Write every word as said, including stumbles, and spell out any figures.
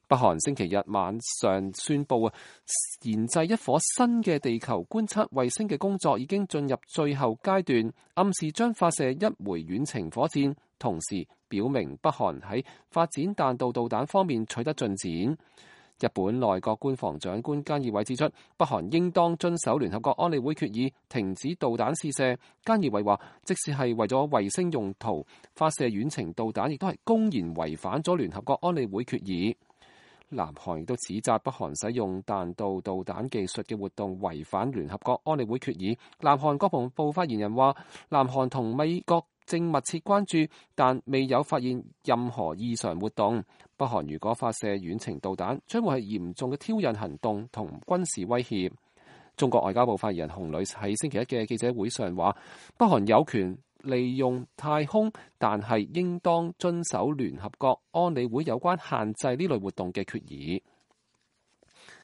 北韓星期日晚上宣布啊，研製一顆新嘅地球觀測衛星嘅工作已經進入最後階段，暗示將發射一枚遠程火箭，同時表明北韓喺發展彈道導彈方面取得進展。日本內閣官房長官菅義偉指出，北韓應當遵守聯合國安理會決議，停止導彈試射。菅義偉話，即使係為咗衛星用途發射遠程導彈，亦都係公然違反咗聯合國安理會決議。南韓亦都指責北韓使用彈道導彈技術嘅活動違反聯合國安理會決議。南韓國防部發言人話，南韓同美國正密切關注，但未有發現任何異常活動。北韓如果發射遠程導彈，將會係嚴重嘅挑釁行動同軍事威脅。中國外交部發言人洪磊喺星期一嘅記者會上話，北韓有權利用太空，但係應當遵守聯合國安理會有關限制呢類活動嘅決議。